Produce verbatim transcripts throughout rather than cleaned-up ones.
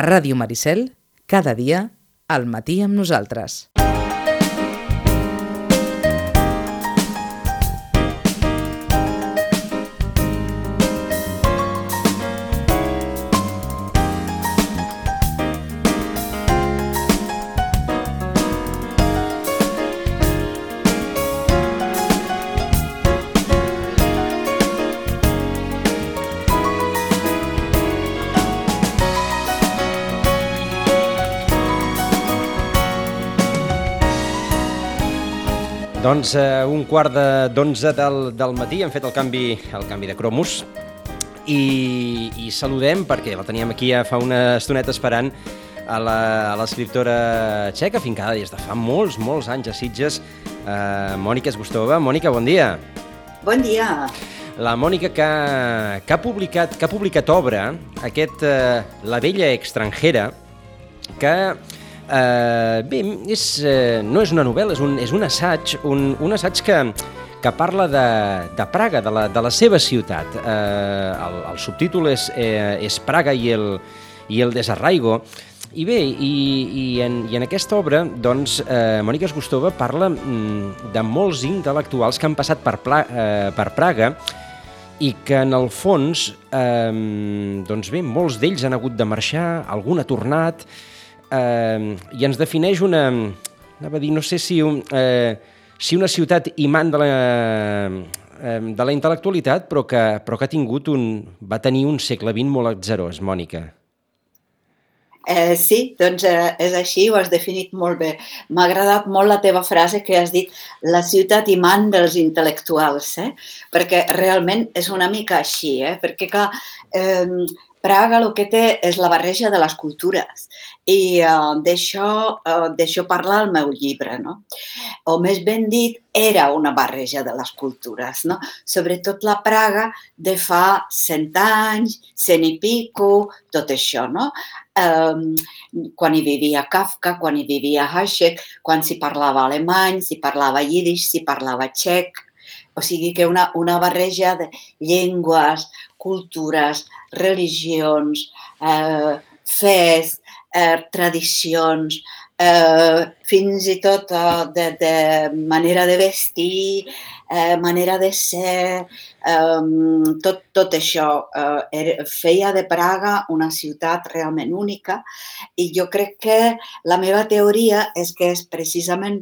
A Ràdio Maricel, cada dia, al matí amb nosaltres. Doncs eh, un quart d'onze del, del matí hem fet el canvi, el canvi de cromos i, i saludem, perquè la teníem aquí ja fa una estoneta esperant, a l'escriptora txeca, fincada des de fa molts, molts anys a Sitges, eh, Mònica Zgustova. Mònica, bon dia. Bon dia. La Mònica que, que, ha, publicat, que ha publicat obra, aquest eh, La vella extranjera, que... Uh, bé, és, uh, no és una novel·la, és un, és un assaig, un, un assaig que, que parla de, de Praga, de la, de la seva ciutat. Uh, el, el subtítol és, eh, és Praga i el, i el desarraigo. I bé, i, i, en, i en aquesta obra, doncs, uh, Mònica Zgustova parla mm, de molts intel·lectuals que han passat per, Pla, uh, per Praga i que, en el fons, uh, doncs bé, molts d'ells han hagut de marxar, algun ha tornat... Uh, i ens defineix una, anava a dir, no sé si, un, uh, si una ciutat imant de la, uh, de la intel·lectualitat, però que, però que ha tingut un, va tenir un segle vint molt atzerós, Mònica. Eh, sí, doncs eh, és així, ho has definit molt bé. M'ha agradat molt la teva frase que has dit, la ciutat imant dels intel·lectuals, eh? Perquè realment és una mica així, eh? Perquè clar, eh, Praga el que té és la barreja de les cultures i uh, d'això uh, d'això parla el meu llibre, no? O més ben dit, era una barreja de les cultures, no? Sobretot la Praga de fa cent anys, cent i pico, tot això, no? Um, quan hi vivia Kafka, quan hi vivia Hašek, quan s'hi parlava alemany, s'hi parlava yiddish, s'hi parlava txec. O sigui que una, una barreja de llengües, cultures, religions, eh, fes, eh, tradicions, eh, fins i tot eh, de, de manera de vestir, eh, manera de ser, eh, tot, tot això eh, feia de Praga una ciutat realment única i jo crec que la meva teoria és que és precisament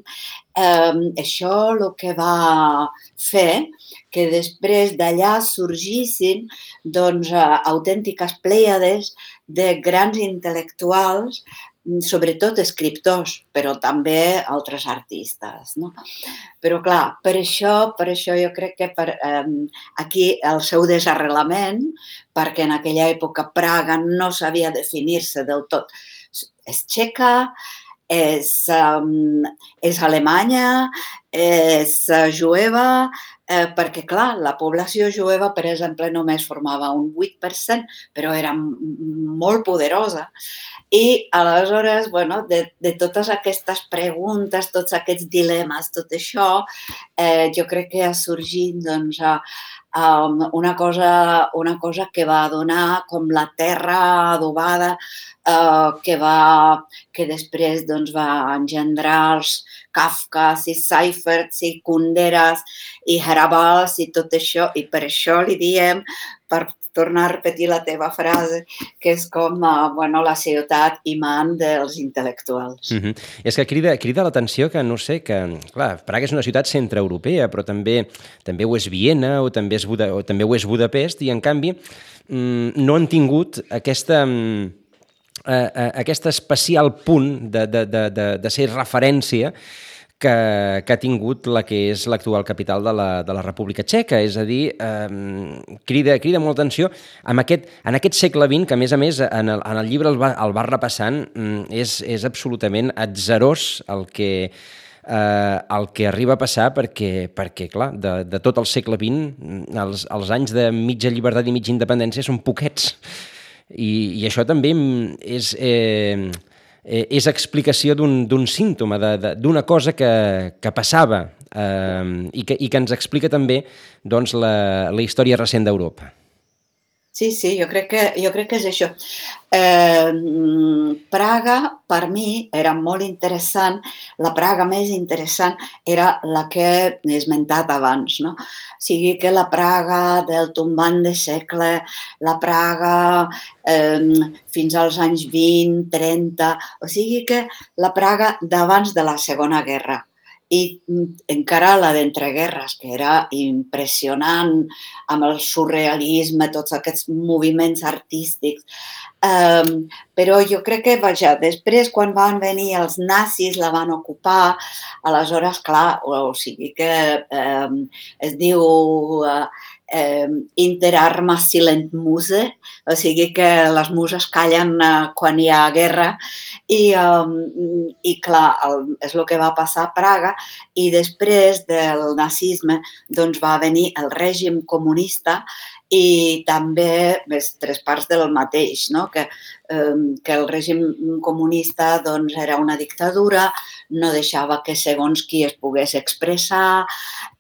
eh, això el que va fer que després d'allà sorgissin doncs, autèntiques plèiades de grans intel·lectuals, sobretot escriptors, però també altres artistes, no? Però clar, per això, per això jo crec que per, eh, aquí el seu desarrelament, perquè en aquella època Praga no sabia definir-se del tot, és txeca, és, um, és alemanya, és jueva, eh, perquè, clar, la població jueva, per exemple, només formava un vuit per cent, però era molt poderosa. I, aleshores, bueno, de, de totes aquestes preguntes, tots aquests dilemes, tot això, eh, jo crec que ha sorgit, doncs, um, una cosa, una cosa que va donar com la terra adobada, eh, que, va, que després doncs, va engendrar els Kafkas i Seiferts i Kunderas i Hrabals i tot això, i per això li diem, per tornar a repetir la teva frase, que és com uh, bueno, la ciutat imant dels intel·lectuals. Mm-hmm. És que crida, crida l'atenció que, no sé, que, clar, Praga és una ciutat centreeuropea, però també també ho és Viena o també, és Buda, o també ho és Budapest, i en canvi mm, no han tingut aquesta... Mm, Uh, aquest especial punt de, de, de, de, de ser referència que, que ha tingut la que és l'actual capital de la, de la República Txeca. És a dir, eh, crida, crida molta atenció en aquest, en aquest segle vint, que a més a més en el, en el llibre el va, el va repassant, és, és absolutament atzerós el que, eh, el que arriba a passar, perquè, perquè clar, de, de tot el segle vint, els, els anys de mitja llibertat i mitja independència són poquets. I, i això també és, eh, és explicació d'un símptoma, d'una cosa que, que passava eh, i, que, i que ens explica també doncs, la, la història recent d'Europa. Sí, sí, jo crec que, jo crec que és això. Eh, Praga, per mi, era molt interessant. La Praga més interessant era la que he esmentat abans, no? O sigui que la Praga del tombant de segle, la Praga eh, fins als anys vint, trenta, o sigui que la Praga d'abans de la Segona Guerra. I encara la d'entreguerres, que era impressionant, amb el surrealisme, tots aquests moviments artístics. Um, però jo crec que, vaja, després quan van venir els nazis la van ocupar, aleshores, clar, o, o sigui que um, es diu uh, um, Inter armas silent muse, o sigui que les muses callen uh, quan hi ha guerra, i, um, i clar, el, és el que va passar a Praga, i després del nazisme doncs va venir el règim comunista i també les tres parts del mateix, no? que, eh, que el règim comunista doncs, era una dictadura, no deixava que segons qui es pogués expressar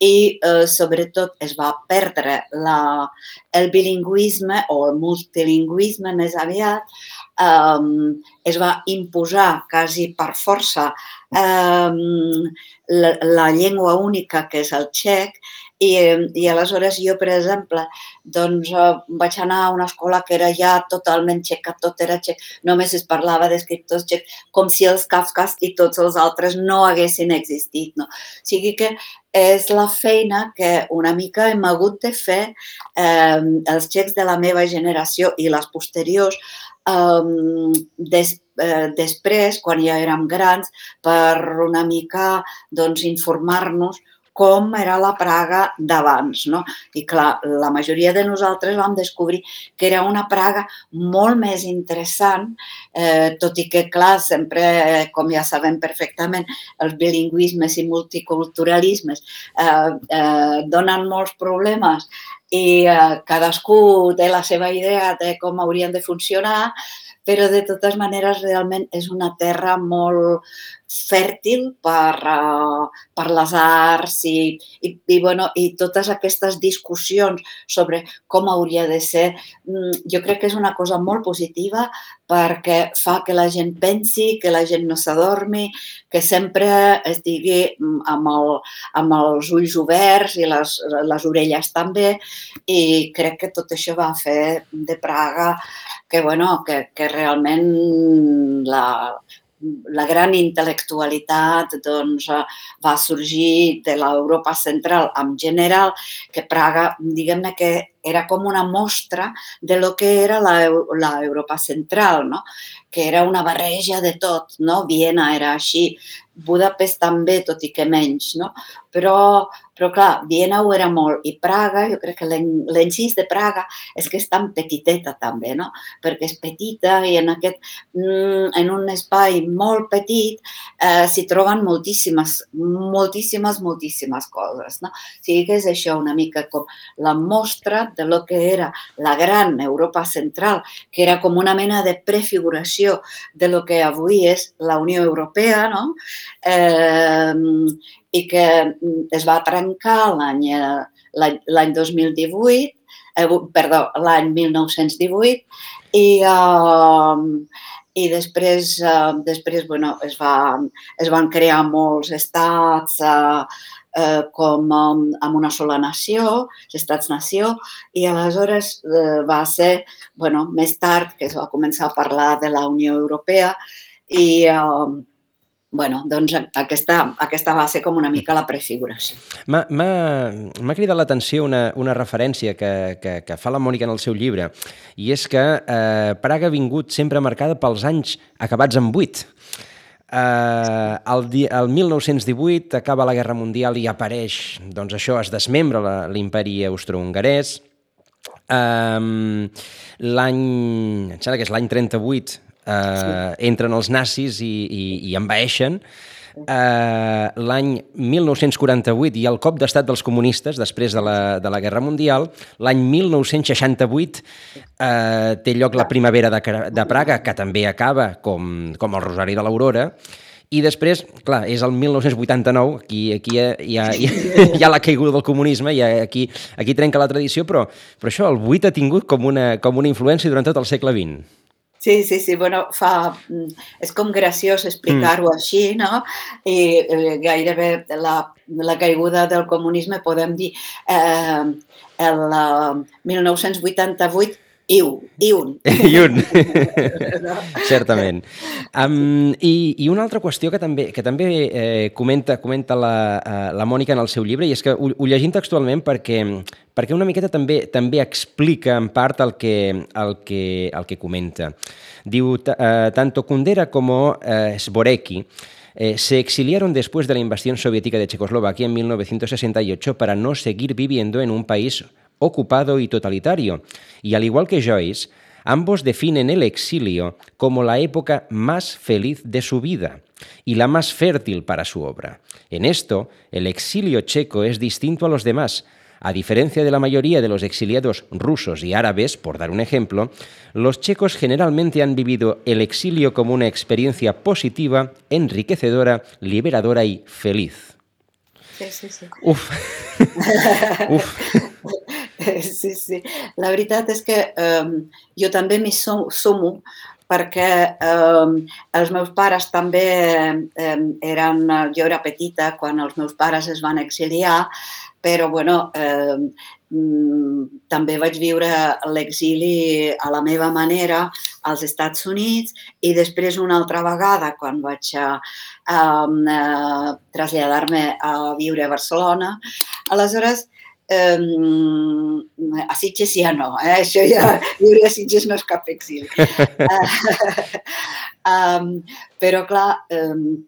i eh, sobretot es va perdre la, el bilingüisme o el multilingüisme més aviat, eh, es va imposar quasi per força eh, la, la llengua única que és el txec. I, I aleshores jo, per exemple, doncs, vaig anar a una escola que era ja totalment txeca, tot era txec, només es parlava d'escriptors txecs, com si els Kafkas i tots els altres no haguessin existit. No? O sigui que és la feina que una mica hem hagut de fer eh, els txecs de la meva generació i les posteriors eh, des, eh, després, quan ja érem grans, per una mica doncs, informar-nos com era la Praga d'abans, no? I clar, la majoria de nosaltres vam descobrir que era una Praga molt més interessant, eh, tot i que, clar, sempre, com ja sabem perfectament, els bilingüismes i multiculturalismes eh, eh, donen molts problemes i eh, cadascú té la seva idea de com haurien de funcionar, però de totes maneres realment és una terra molt fèrtil per, uh, per les arts i, i, i, bueno, i totes aquestes discussions sobre com hauria de ser. Jo crec que és una cosa molt positiva perquè fa que la gent pensi, que la gent no s'adormi, que sempre estigui amb, el, amb els ulls oberts i les, les orelles també, i crec que tot això va fer de Praga que, bueno, que, que realment la... la gran intel·lectualitat doncs, va sorgir de l'Europa central en general, que Praga, diguem-ne que era com una mostra de lo que era l'Europa central, no? Que era una barreja de tot, no? Viena era així, Budapest també, tot i que menys, no? Però, però clar, Viena ho era molt i Praga, jo crec que l'encís de Praga és que és tan petiteta també, no? Perquè és petita i en, aquest, en un espai molt petit eh, s'hi troben moltíssimes, moltíssimes, moltíssimes coses, no? O sigui que és això una mica com la mostra de lo que era la gran Europa central, que era com una mena de prefiguració de lo que avui és la Unió Europea, no? Eh, i que es va trencar l'any l'any dos mil divuit, eh, perdó, l'any mil nou-cents divuit i, eh, i després, eh, després bueno, es, va, es van crear molts estats eh, eh, com eh, amb una sola nació, estats-nació, i aleshores eh, va ser, bueno, més tard que es va començar a parlar de la Unió Europea i eh, bueno, doncs aquesta, aquesta va ser com una mica la prefiguració. M'ha cridat l'atenció una, una referència que, que, que fa la Mònica en el seu llibre, i és que eh, Praga ha vingut sempre marcada pels anys acabats en vuit. Eh, el, el mil nou-cents divuit acaba la Guerra Mundial i apareix, doncs això, es desmembra l'imperi austrohongarès. Eh, l'any, em sembla que és l'any trenta-vuit, Uh, entren els nazis i, i, i envaeixen. Uh, l'any mil nou-cents quaranta-vuit hi ha el cop d'estat dels comunistes després de la, de la Guerra Mundial. L'any mil nou-cents seixanta-vuit uh, té lloc la primavera de, de Praga, que també acaba com, com el Rosari de l'Aurora. I després, clar, és el mil nou-cents vuitanta-nou, aquí, aquí hi, ha, hi, ha, hi ha la caiguda del comunisme, i aquí, aquí trenca la tradició, però, però això, el vuit ha tingut com una, com una influència durant tot el segle vint. Sí, sí, sí, bueno, fa... és com graciós Mm. explicar-ho així, no? I eh, gairebé la, la caiguda del comunisme podem dir eh, el uh, mil nou-cents vuitanta-vuit i un, i un. I un. No? Certament. Um, i, I una altra qüestió que també, que també eh, comenta, comenta la, uh, la Mònica en el seu llibre, i és que ho, ho llegim textualment perquè, perquè una miqueta també també explica en part el que, el que, el que comenta. Diu, uh, tanto Kundera como uh, Zvorecki Eh, se exiliaron después de la invasión soviética de Checoslovaquia en mil novecientos sesenta y ocho para no seguir viviendo en un país ocupado y totalitario. Y al igual que Joyce, ambos definen el exilio como la época más feliz de su vida y la más fértil para su obra. En esto, el exilio checo es distinto a los demás. A diferencia de la mayoría de los exiliados rusos y árabes, por dar un ejemplo, los checos generalmente han vivido el exilio como una experiencia positiva, enriquecedora, liberadora y feliz. Sí, sí, sí. Uf. Uf. Sí, sí. La veritat és que um, jo també m'hi sumo perquè um, els meus pares també um, eren... Jo era petita quan els meus pares es van exiliar, però bueno, eh, també vaig viure l'exili a la meva manera als Estats Units i després una altra vegada quan vaig a, a, a traslladar-me a viure a Barcelona. Aleshores, Um, a Sitges ja no, eh? Això ja, viure a Sitges no és cap exili. um, però clar, um,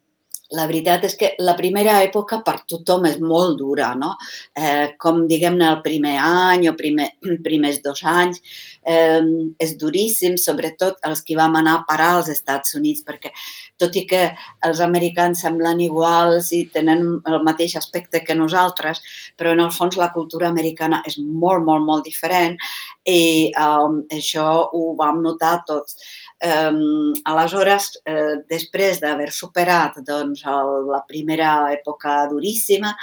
la veritat és que la primera època per tothom és molt dura, no? Eh, com diguem-ne el primer any o primer, primers dos anys, eh, és duríssim, sobretot els que vam anar a parar als Estats Units, perquè tot i que els americans semblen iguals i tenen el mateix aspecte que nosaltres, però en el fons la cultura americana és molt, molt, molt diferent i um, això ho vam notar tots. Um, aleshores, eh, després d'haver superat doncs, el, la primera època duríssima,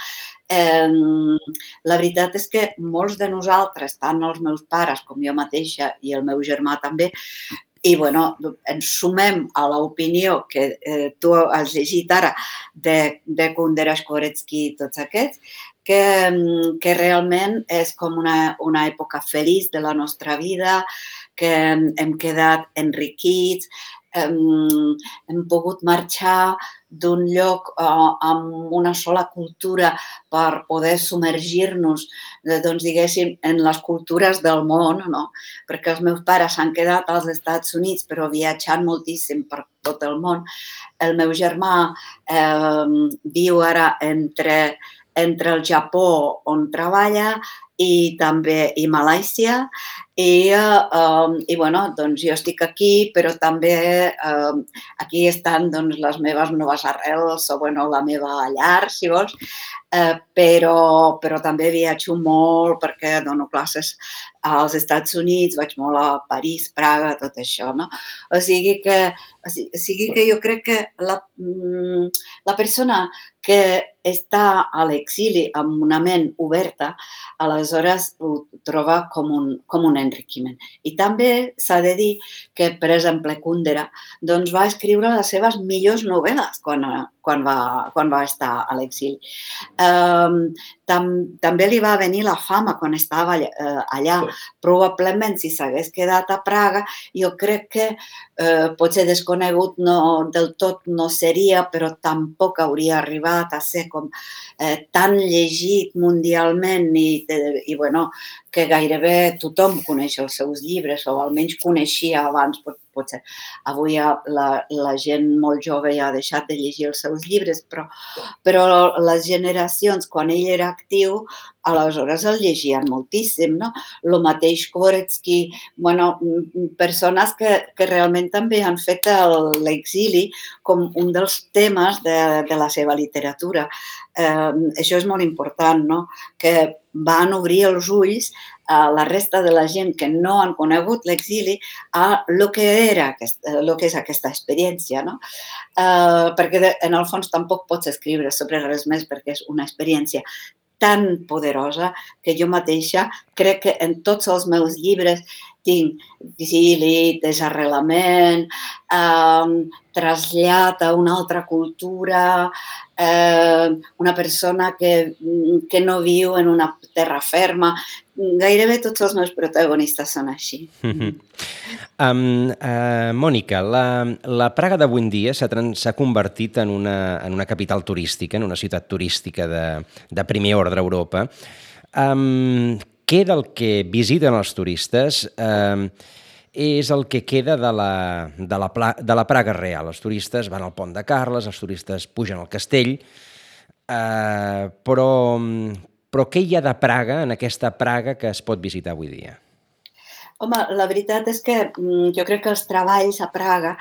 eh, la veritat és que molts de nosaltres, tant els meus pares com jo mateixa i el meu germà també, i bueno, ens sumem a l'opinió que eh, tu has llegit ara de, de Kundera, Zvorecki i tots aquests, que, que realment és com una, una època feliç de la nostra vida, que hem quedat enriquits, hem, hem pogut marxar d'un lloc uh, amb una sola cultura per poder submergir-nos, doncs, diguéssim, en les cultures del món, no? Perquè els meus pares s'han quedat als Estats Units, però viatjant moltíssim per tot el món. El meu germà eh, viu ara entre, entre el Japó, on treballa, i també i Malàisia, i, uh, i bueno, doncs jo estic aquí, però també uh, aquí estan doncs, les meves noves arrels, o bueno, la meva llar, si vols, uh, però, però també viatjo molt perquè dono classes als Estats Units, vaig molt a París, Praga, tot això, no? O sigui que, o sigui que jo crec que la, la persona que està a l'exili amb una ment oberta, aleshores ho troba com un, com un enriquiment. I també s'ha de dir que, per exemple, Kundera doncs, va escriure les seves millors novel·les quan, quan, va, quan va estar a l'exili. Um, tam, també li va venir la fama quan estava allà. Uh, allà. Probablement, si s'hagués quedat a Praga, jo crec que uh, potser desconegut no, del tot no seria, però tampoc hauria arribat a ser com eh, tan llegit mundialment i, i bueno, que gairebé tothom coneix els seus llibres, o almenys coneixia abans, potser avui la, la gent molt jove ja ha deixat de llegir els seus llibres, però, però les generacions, quan ell era actiu, aleshores el llegien moltíssim, no? El mateix Zvorecki, bueno, persones que, que realment també han fet l'exili com un dels temes de, de la seva literatura. Eh, això és molt important, no? Que van obrir els ulls a la resta de la gent que no han conegut l'exili a el que era, el que és aquesta experiència, no? Eh, perquè en el fons tampoc pots escriure sobre res més perquè és una experiència tan poderosa que jo mateixa crec que en tots els meus llibres tinc exili, desarrelament, eh, trasllat a una altra cultura, eh, una persona que, que no viu en una terra ferma. Gairebé tots els meus protagonistes són així. Mm-hmm. Um, uh, Mònica, la, la Praga d'avui en dia s'ha s'ha convertit en una, en una capital turística, en una ciutat turística de, de primer ordre a Europa. Um, què del que visiten els turistes um, és el que queda de la, de, la, de la Praga real? Els turistes van al Pont de Carles, els turistes pugen al castell, uh, però, però què hi ha de Praga, en aquesta Praga que es pot visitar avui dia? Home, la veritat és que jo crec que els treballs a Praga,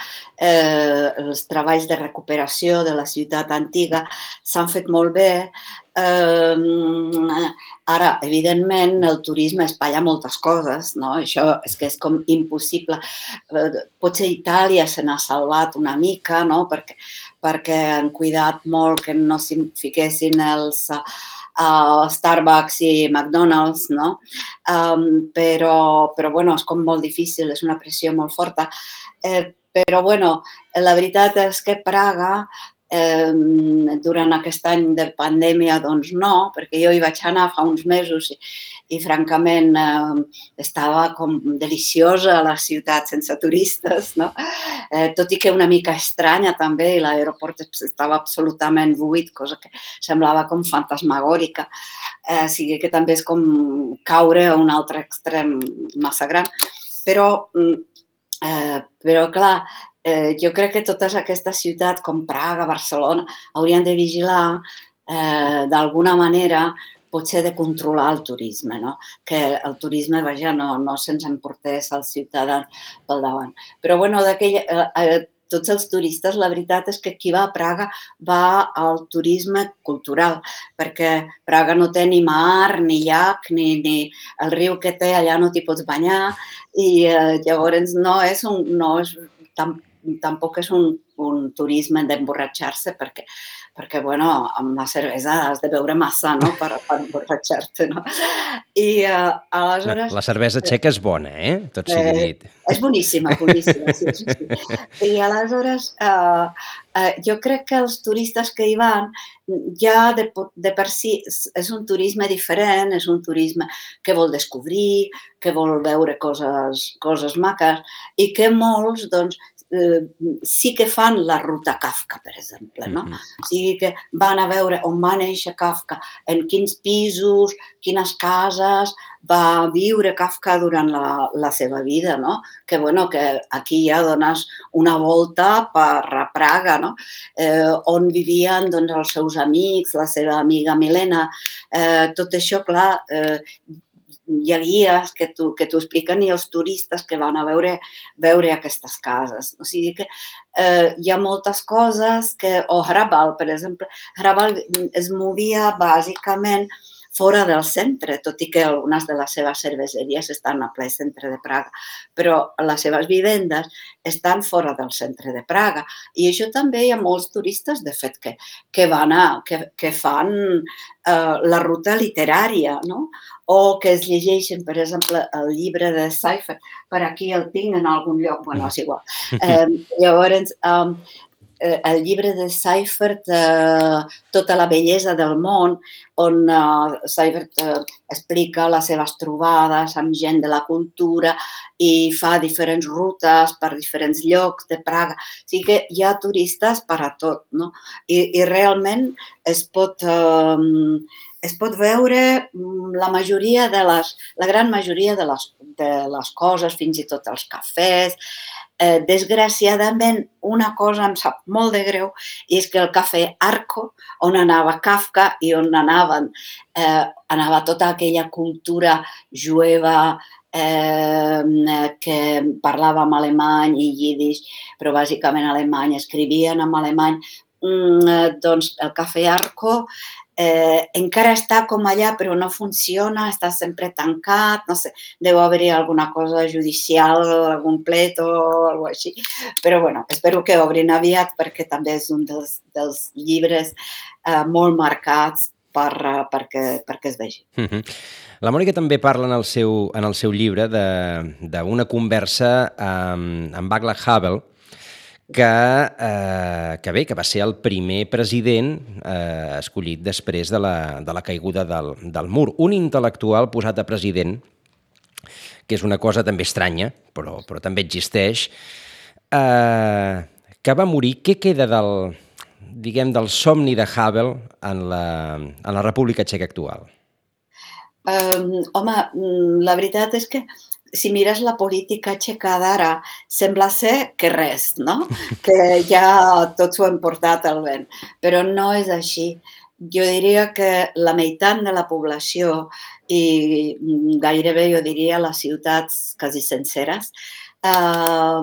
eh, els treballs de recuperació de la ciutat antiga s'han fet molt bé. Eh, ara, evidentment, el turisme espatlla moltes coses, no? Això és que és com impossible. Eh, potser Itàlia se n'ha salvat una mica, no? Perquè, perquè han cuidat molt que no s'hi fiquessin els... Uh, Starbucks i McDonald's, no? Um, però, però, bueno, és com molt difícil, és una pressió molt forta. Eh, però, bueno, la veritat és que Praga, eh, durant aquest any de pandèmia, doncs no, perquè jo hi vaig anar fa uns mesos i, i francament, eh, estava com deliciosa a la ciutat sense turistes, no? Eh, tot i que una mica estranya també, i l'aeroport estava absolutament buit, cosa que semblava com fantasmagòrica. Eh, o sigui que també és com caure a un altre extrem massa gran. Però, eh, però clar, eh, jo crec que totes aquestes ciutats com Praga, Barcelona, haurien de vigilar eh, d'alguna manera potser de controlar el turisme, no? Que el turisme, vaja, no, no se'ns emportés als ciutadans pel davant. Però, bueno, d'aquell, eh, eh, tots els turistes, la veritat és que qui va a Praga va al turisme cultural, perquè Praga no té ni mar, ni llac, ni, ni el riu que té allà no t'hi pots banyar, i eh, llavors no és un... No és, tam, tampoc és un, un turisme d'emborratxar-se, perquè perquè, bueno, amb la cervesa has de beure massa, no?, per, per emborratxar-te, no? I uh, aleshores... La cervesa txeca és bona, eh? Tot sigui dit. Eh, és boníssima, boníssima, sí, sí, sí. I aleshores, uh, uh, jo crec que els turistes que hi van, ja de, de per si és un turisme diferent, és un turisme que vol descobrir, que vol veure coses, coses maques, i que molts, doncs, Eh, sí que fan la ruta Kafka, per exemple, no? O sigui que van a veure on va néixer Kafka, en quins pisos, quines cases va viure Kafka durant la, la seva vida, no? Que, bueno, que aquí ja dones una volta per Praga, no? Eh, on vivien, doncs, els seus amics, la seva amiga Milena, eh, tot això, clar, eh, hi ha guies que t'ho que t'ho expliquen i els turistes que van a veure, veure aquestes cases. O sigui que eh, hi ha moltes coses que... O Hrabal, per exemple. Hrabal es movia bàsicament fora del centre, tot i que algunes de les seves cerveseries estan a ple centre de Praga, però les seves vivendes estan fora del centre de Praga. I això també hi ha molts turistes, de fet, que, que, van a, que, que fan eh, la ruta literària, no? O que es llegeixen, per exemple, el llibre de Seifert. Per aquí el tinc en algun lloc, bueno, és igual. Eh, llavors, eh, el llibre de Seifert, eh, Tota la bellesa del món, on eh, Seifert eh, explica les seves trobades amb gent de la cultura i fa diferents rutes per diferents llocs de Praga. O sigui que hi ha turistes per a tot, no? I, i realment es pot... Eh, es pot veure la majoria de les, la gran majoria de les, de les coses, fins i tot els cafès. Eh, desgraciadament, una cosa em sap molt de greu, i és que el cafè Arco, on anava Kafka i on anaven, eh, anava tota aquella cultura jueva eh, que parlàvem alemany i llidix, però bàsicament alemany, escrivien en alemany, mm, doncs el cafè Arco Eh, encara està com allà, però no funciona, està sempre tancat, no sé, deu haver-hi alguna cosa judicial, algun plet o alguna cosa així. Però, bueno, espero que obrin aviat perquè també és un dels, dels llibres eh, molt marcats per, perquè, perquè es vegi. Uh -huh. La Mònica també parla en el seu, en el seu llibre d'una conversa amb, amb Václav Havel, que, eh, que bé, que va ser el primer president eh, escollit després de la, de la caiguda del, del mur. Un intel·lectual posat a president, que és una cosa també estranya, però, però també existeix, eh, que va morir. Què queda del, diguem, del somni de Havel en la, en la República Txeca actual? Um, home, la veritat és que si mires la política txeca d'ara, sembla ser que res, no? Que ja tot s'ho han portat al vent. Però no és així. Jo diria que la meitat de la població i gairebé, jo diria, les ciutats quasi senceres, eh,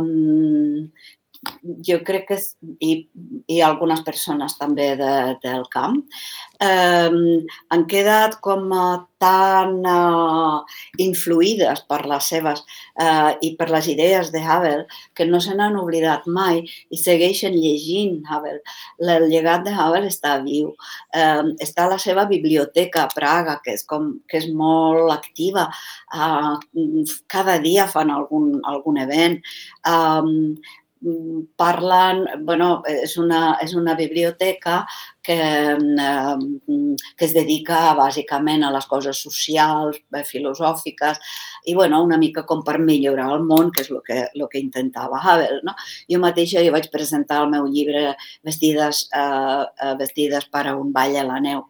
jo crec que, i, i algunes persones també de, del camp, eh, han quedat com tan eh, influïdes per les seves eh, i per les idees de Havel que no se n'han oblidat mai i segueixen llegint Havel. El llegat de Havel està viu. Eh, està a la seva biblioteca a Praga, que és, com, que és molt activa. Eh, cada dia fan algun, algun event. Eh, parlen, bueno, és una, és una biblioteca que, eh, que es dedica bàsicament a les coses socials, filosòfiques, i bueno, una mica com per millorar el món, que és el que, el que intentava Havel, no? Jo mateixa jo vaig presentar el meu llibre Vestides, eh, vestides per a un ball a la neu,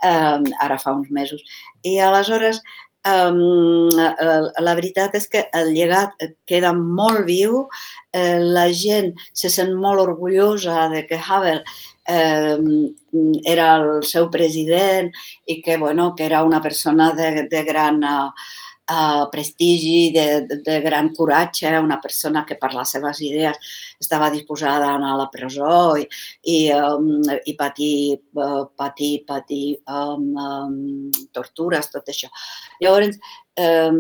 eh, ara fa uns mesos. I aleshores, Um, la veritat és que el llegat queda molt viu, eh, la gent se sent molt orgullosa de que Havel eh, era el seu president i que, bueno, que era una persona de, de gran uh, uh, prestigi, de, de, de gran coratge, una persona que per les seves idees estava disposada a anar a la presó i, i, um, i patir, uh, patir, patir um, um, tortures, tot això. Llavors, um,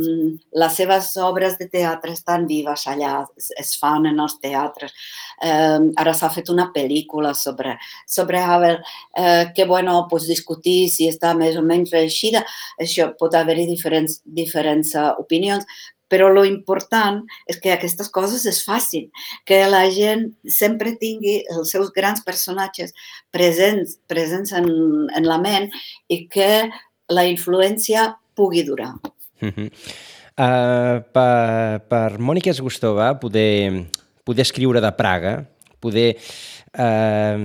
les seves obres de teatre estan vives allà, es, es fan en els teatres. Um, ara s'ha fet una pel·lícula sobre, sobre Havel, eh, que, bueno, pots discutir si està més o menys reeixida. Això pot haver-hi diferents, diferents uh, opinions, però lo important és que aquestes coses es facin, que la gent sempre tingui els seus grans personatges presents, presents en, en la ment i que la influència pugui durar. Uh -huh. uh, per, per Mònica Zgustova poder, poder escriure de Praga, poder eh,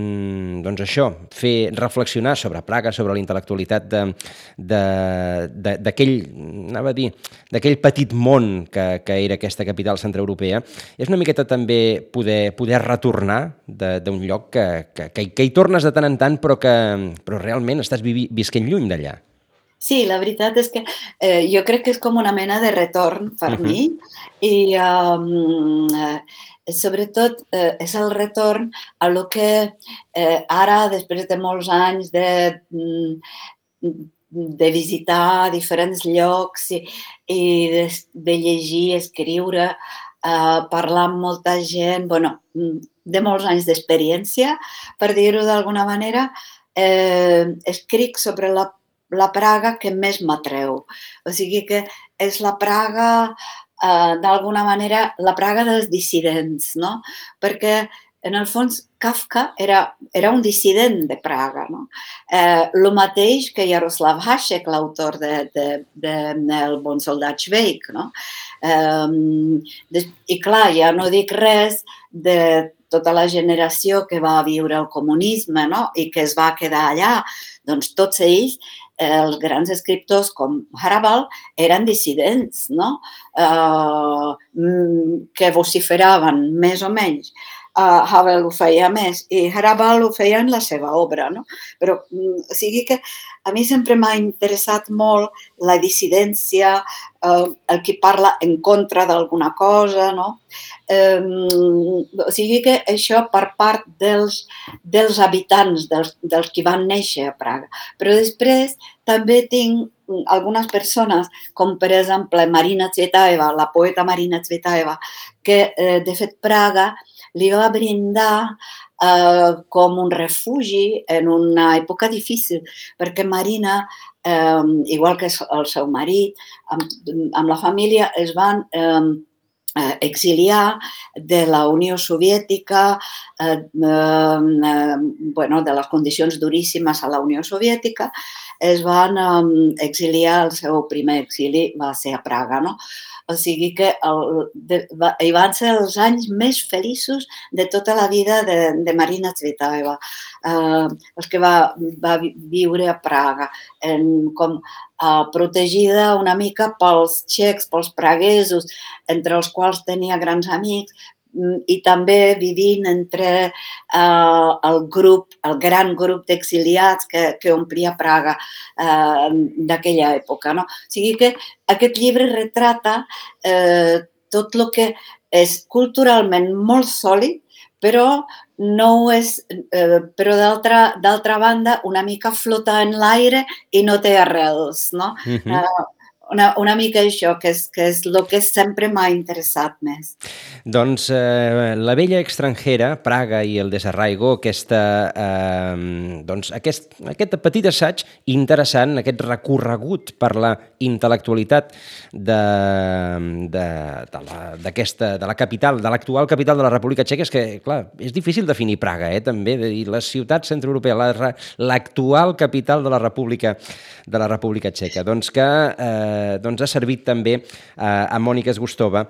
doncs això, fer reflexionar sobre Praga, sobre la intel·lectualitat d'aquell, anava a dir, d'aquell petit món que, que era aquesta capital centreeuropea, és una miqueta també poder, poder retornar d'un lloc que, que, que, que hi tornes de tant en tant però que però realment estàs vivi, visquent lluny d'allà. Sí, la veritat és que eh, jo crec que és com una mena de retorn per uh-huh. mi i um, eh, sobretot eh, és el retorn a lo que eh, ara, després de molts anys de, de visitar diferents llocs i, i de, de llegir, escriure, eh, parlar amb molta gent, bueno, de molts anys d'experiència, per dir-ho d'alguna manera, eh, escric sobre la la Praga que més m'atreu. O sigui que és la Praga, eh, d'alguna manera, la Praga dels dissidents, no? Perquè, en el fons, Kafka era, era un dissident de Praga, no? Eh, el mateix que Jaroslav Hašek, l'autor de, de, de, de El bon soldat Švejk, no? Eh, de, I clar, ja no dic res de tota la generació que va viure el comunisme, no? I que es va quedar allà. Doncs tots ells, els grans escriptors com Hrabal eren dissidents, no? Uh, que vociferaven més o menys. Uh, Havel ho feia més i Hrabal ho feia en la seva obra, no? Però, o sigui que a mi sempre m'ha interessat molt la dissidència, uh, el qui parla en contra d'alguna cosa, no? Um, o sigui que això per part dels, dels habitants, dels, dels qui van néixer a Praga. Però després també tinc algunes persones, com per exemple Marina Tsvetaeva, la poeta Marina Tsvetaeva, que eh, de fet Praga li va brindar eh, com un refugi en una època difícil, perquè Marina, eh, igual que el seu marit, amb, amb la família es van eh, exiliar de la Unió Soviètica, eh, eh, bueno, de les condicions duríssimes a la Unió Soviètica, es van eh, exiliar, el seu primer exili va ser a Praga, no? O sigui que el, de, va, hi van ser els anys més feliços de tota la vida de, de Marina Tsvetaeva, eh, els que va, va viure a Praga, en, com eh, protegida una mica pels txecs, pels praguesos, entre els quals tenia grans amics, i també vivint entre eh, el grup, el gran grup d'exiliats que, que omplia Praga eh, d'aquella època, no? O sigui que aquest llibre retrata eh, tot el que és culturalment molt sòlid, però no ho és, eh, però d'altra banda una mica flota en l'aire i no té arrels, no? Uh-huh. eh, Una, una mica això, que és, que és el que sempre m'ha interessat més. Doncs eh, La vella extranjera, Praga i el desarraigo, aquesta, eh, doncs aquest, aquest petit assaig interessant, aquest recorregut per la intel·lectualitat de, de, de, la, d'aquesta, de la capital, de l'actual capital de la República Txeca. És que, clar, és difícil definir Praga, eh, també, de dir la ciutat centreeuropea, la, l'actual capital de la República, de la República Txeca. Doncs que eh, doncs ha servit també eh, a Mònica Zgustova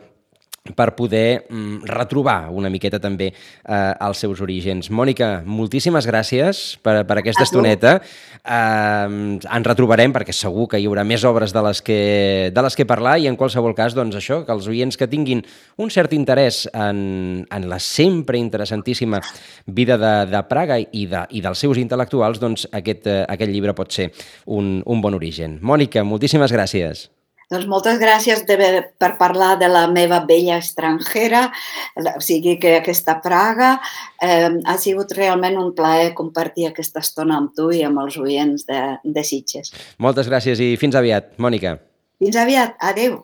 per poder mm, retrobar una miqueta també eh, els seus orígens. Mònica, moltíssimes gràcies per, per aquesta estoneta. Eh, ens retrobarem perquè segur que hi haurà més obres de les que, de les que parlar i en qualsevol cas, doncs això, que els oients que tinguin un cert interès en, en la sempre interessantíssima vida de, de Praga i, de, i dels seus intel·lectuals, doncs aquest, eh, aquest llibre pot ser un, un bon origen. Mònica, moltíssimes gràcies. Doncs moltes gràcies de, per parlar de la meva vella estrangera, o sigui que aquesta Praga. Eh, ha sigut realment un plaer compartir aquesta estona amb tu i amb els oients de, de Sitges. Moltes gràcies i fins aviat, Mònica. Fins aviat, adeu.